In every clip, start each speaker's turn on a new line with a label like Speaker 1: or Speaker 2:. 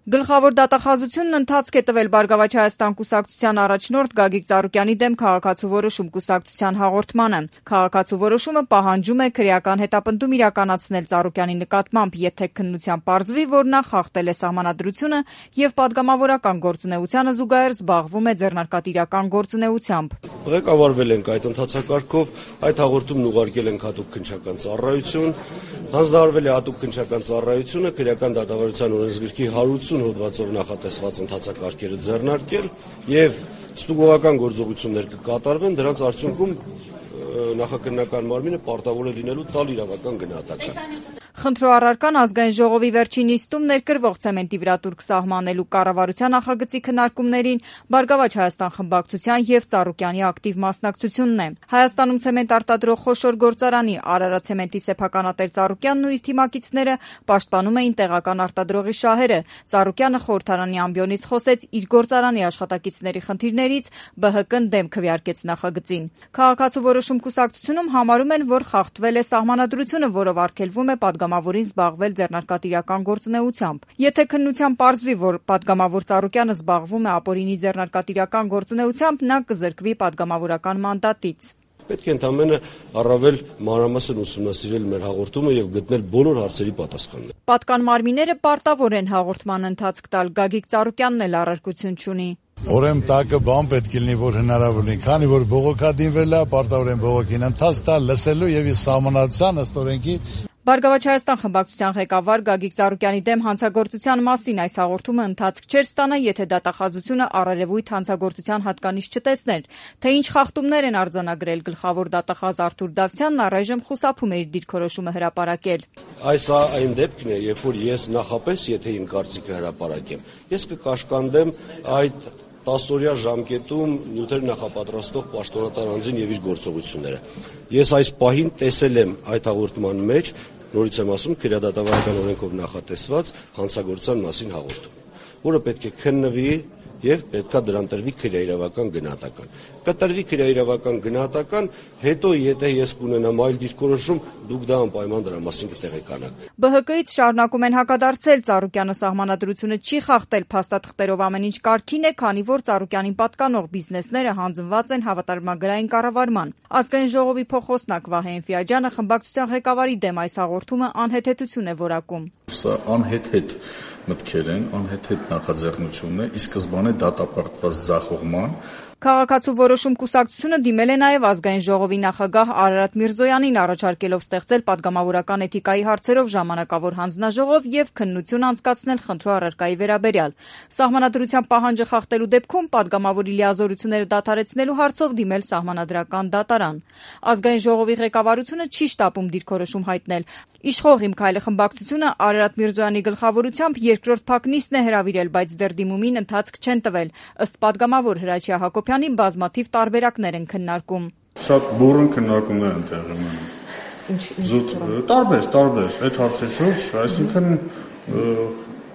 Speaker 1: Գլխավոր դատախազությունն ընթացք է տվել «Բարգավաճ Հայաստան» կուսակցության առաջնորդ Գագիկ Ծառուկյանի դեմ քաղաքացու որոշում կուսակցության հաղորդմանը։ Քաղաքացու որոշումը պահանջում է քրեական հետապնդում իրականացնել Ծառուկյանի նկատմամբ, եթե քննության պարզվի, որ նա խախտել է սահմանադրությունը եւ պատգամավորական գործունեությանը զուգահեռ զբաղվում է ձեռնարկատիրական գործունեությամբ։
Speaker 2: Ղեկավարվել ենք այդ ընթացակարգով, այդ հաղորդումն ուղարկել ենք հատուկ քննչական ծառայություն, հանձնարարվել է հատուկ քննչական ծառայությունը քրեական դատավարության օրենսգրքի 180 հոդվածով նախատեսված ընթացակարգերը ձեռնարկել եւ ստուգողական գործողություններ կկատարվեն, դրանց արդյունքում նախաքննական մարմինը պարտավոր է լինելու տալ իրավական գնահատական։
Speaker 1: Խնդրո առարկան ազգային ժողովի վերջին նիստում ներկրվող ցեմենտի վրա տուրք սահմանելու կառավարության նախագծի քննարկումներին Բարգավաճ Հայաստան խմբակցության եւ Ծառուկյանի ակտիվ մասնակցությունն է։ Հայաստանում ցեմենտ արտադրող խոշոր գործարանի Արարատ ցեմենտի սեփականատեր Ծառուկյանն ու իր թիմակիցները պաշտպանում էին տեղական արտադրողի շահերը։ Ծառուկյանը խորհրդարանի ամբիոնից խոսեց իր գործարանի աշխատակիցների խնդիրներից, ԲՀԿ-ն դեմ քվեարկեց նախագծին։ Քաղաքացու որոշում կուսակցությունում համարում են, որ խախտվել է սահմանադրությունը, որով արգելվում է պատգամավորին զբաղվել ձեռնարկատիրական գործունեությամբ։ Եթե քննության պարզվի, որ պատգամավոր Ծառուկյանը զբաղվում է ապօրինի ձեռնարկատիրական գործունեությամբ, նա կզրկվի պատգամավորական մանդատից։
Speaker 2: Պետք է ընդամենը առավել մանրամասն ուսումնասիրել մեր հաղորդումը եւ գտնել բոլոր հարցերի պատասխանները։
Speaker 1: Պատկան մարմինները պարտավոր են հաղորդման ընթացք տալ, Գագիկ Ծառուկյանն էլ առարկություն չունի։
Speaker 3: Ուրեմն տակը բան պետք է լինի, որ հնարավոր լինի, քանի որ բողոքադինվել է, պարտավոր են բողոքին ընթաց տալ, լսելու եւ սահմանադրության ըստ օրենքի։
Speaker 1: Բարգավաճ Հայաստան խմբակցության ղեկավար Գագիկ Ծառուկյանի դեմ հանցագործության մասին այս հաղորդումը ընթացք չէր ստանա, եթե դատախազությունը առերևույթ հանցագործության հատկանիշ չտեսներ, թե ինչ խախտումներ են արձանագրել գլխավոր դատախազ Արթուր Դավթյանն առայժմ խուսափում է իր դիրքորոշումը հրապարակել։
Speaker 2: Այս այն դեպքն է, երբ որ ես նախապես, եթե իմ կարծիքը հրապարակեմ, ես կկաշկանդեմ այդ 10-օրյա ժամկետում նյութեր նախապատրաստող պաշտոնատար անձին եւ իր գործողությունները։ Ես այս պահին տեսել եմ այդ հաղորդման մեջ, նորից եմ ասում, քրեադատավարական օրենքով նախատեսված հանցագործության մասին հաղորդում, որը պետք է քննվի եւ պետքա դրան տրվի քրեաիրավական գնահատական։ Կտրվի քրեաիրավական գնահատական, հետո եթե ես կունենամ այլ դիրքորոշում, դուք դա անպայման դրա մասին կտեղեկանաք։
Speaker 1: ԲՀԿ-ից շարունակում են հակադարձել Ծառուկյանը սահմանադրությունը չի խախտել, փաստաթղթերով ամեն ինչ կարգին է, քանի որ Ծառուկյանին պատկանող բիզնեսները հանձնված են հավատարմագրային կառավարման։ Ազգային ժողովի փոխոսնակ Վահե Էնֆիաջյանը խմբակցության ղեկավարի դեմ այս հաղորդումը անհեթեթություն է որակում։
Speaker 4: Սա անհեթեթ մտքեր են, անհեթեթ նախաձեռնություն է, ի սկզբանե դատապարտված ձախողման։
Speaker 1: Քաղաքացու որոշում կուսակցությունը դիմել է նաև ազգային ժողովի նախագահ Արարատ Միրզոյանին, առաջարկելով ստեղծել պատգամավորական էթիկայի հարցերով ժամանակավոր հանձնաժողով եւ քննություն անցկացնել խնդրո առարկայի վերաբերյալ։ Սահմանադրության պահանջը խախտելու դեպքում պատգամավորի լիազորությունները դադարեցնելու հարցով դիմել սահմանադրական դատարան։ Ազգային ժողովի ղեկավարությունը չի շտապում դիրքորոշում հայտնել։ Իշխող Իմ քայլը խմբակցությունը Արարատ Միրզոյանի գլխավորությամբ երկրորդ փակ նիստն է հրավիրել, բայց դեռ դիմումին ընթացք չեն տվել։ Ըստ պատգամավոր Հրաչյա Հակոբյանի բազմաթիվ տարբերակներ են քննարկում։
Speaker 5: Շատ բուրըն քննարկումներ են տեղի ունենում։ Զուտ տարբեր այդ հարցի շուրջ, այսինքն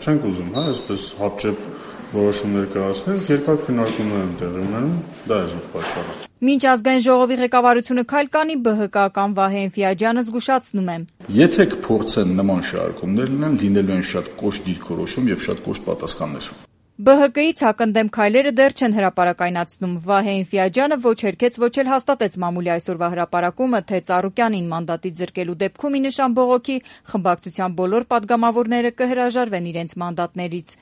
Speaker 5: չենք ուզում, այսպես հապճեպ որոշումներ կայացնել, երկար քննարկումներ են տեղի ունենում, դա է զուտ պատճառը։
Speaker 1: Մինչ ազգային ժողովի ղեկավարությունը քայլ կանի, ԲՀԿ-ական Վահե Էնֆիաջյանը զգուշացնում է։
Speaker 4: Եթե կփորձեն նման շարժումներ լինեն, լինելու են շատ կոշտ դիրքորոշում եւ շատ կոշտ պատասխաններ։
Speaker 1: ԲՀԿ-ից հակընդդեմ քայլերը դեռ չեն հրապարակայնացնում։ Վահե Էնֆիաջյանը ոչ հերքեց, ոչ էլ հաստատեց մամուլի այսօրվա հրապարակումը, թե Ծառուկյանին մանդատից զրկելու դեպքում ի նշան բողոքի խմբակցության բոլոր պատգամավորները կհրաժարվեն իրենց մանդատներից։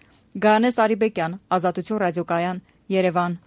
Speaker 1: Գայանես Արիբեկյան, Ազատություն ռադիոկայան, Երևան։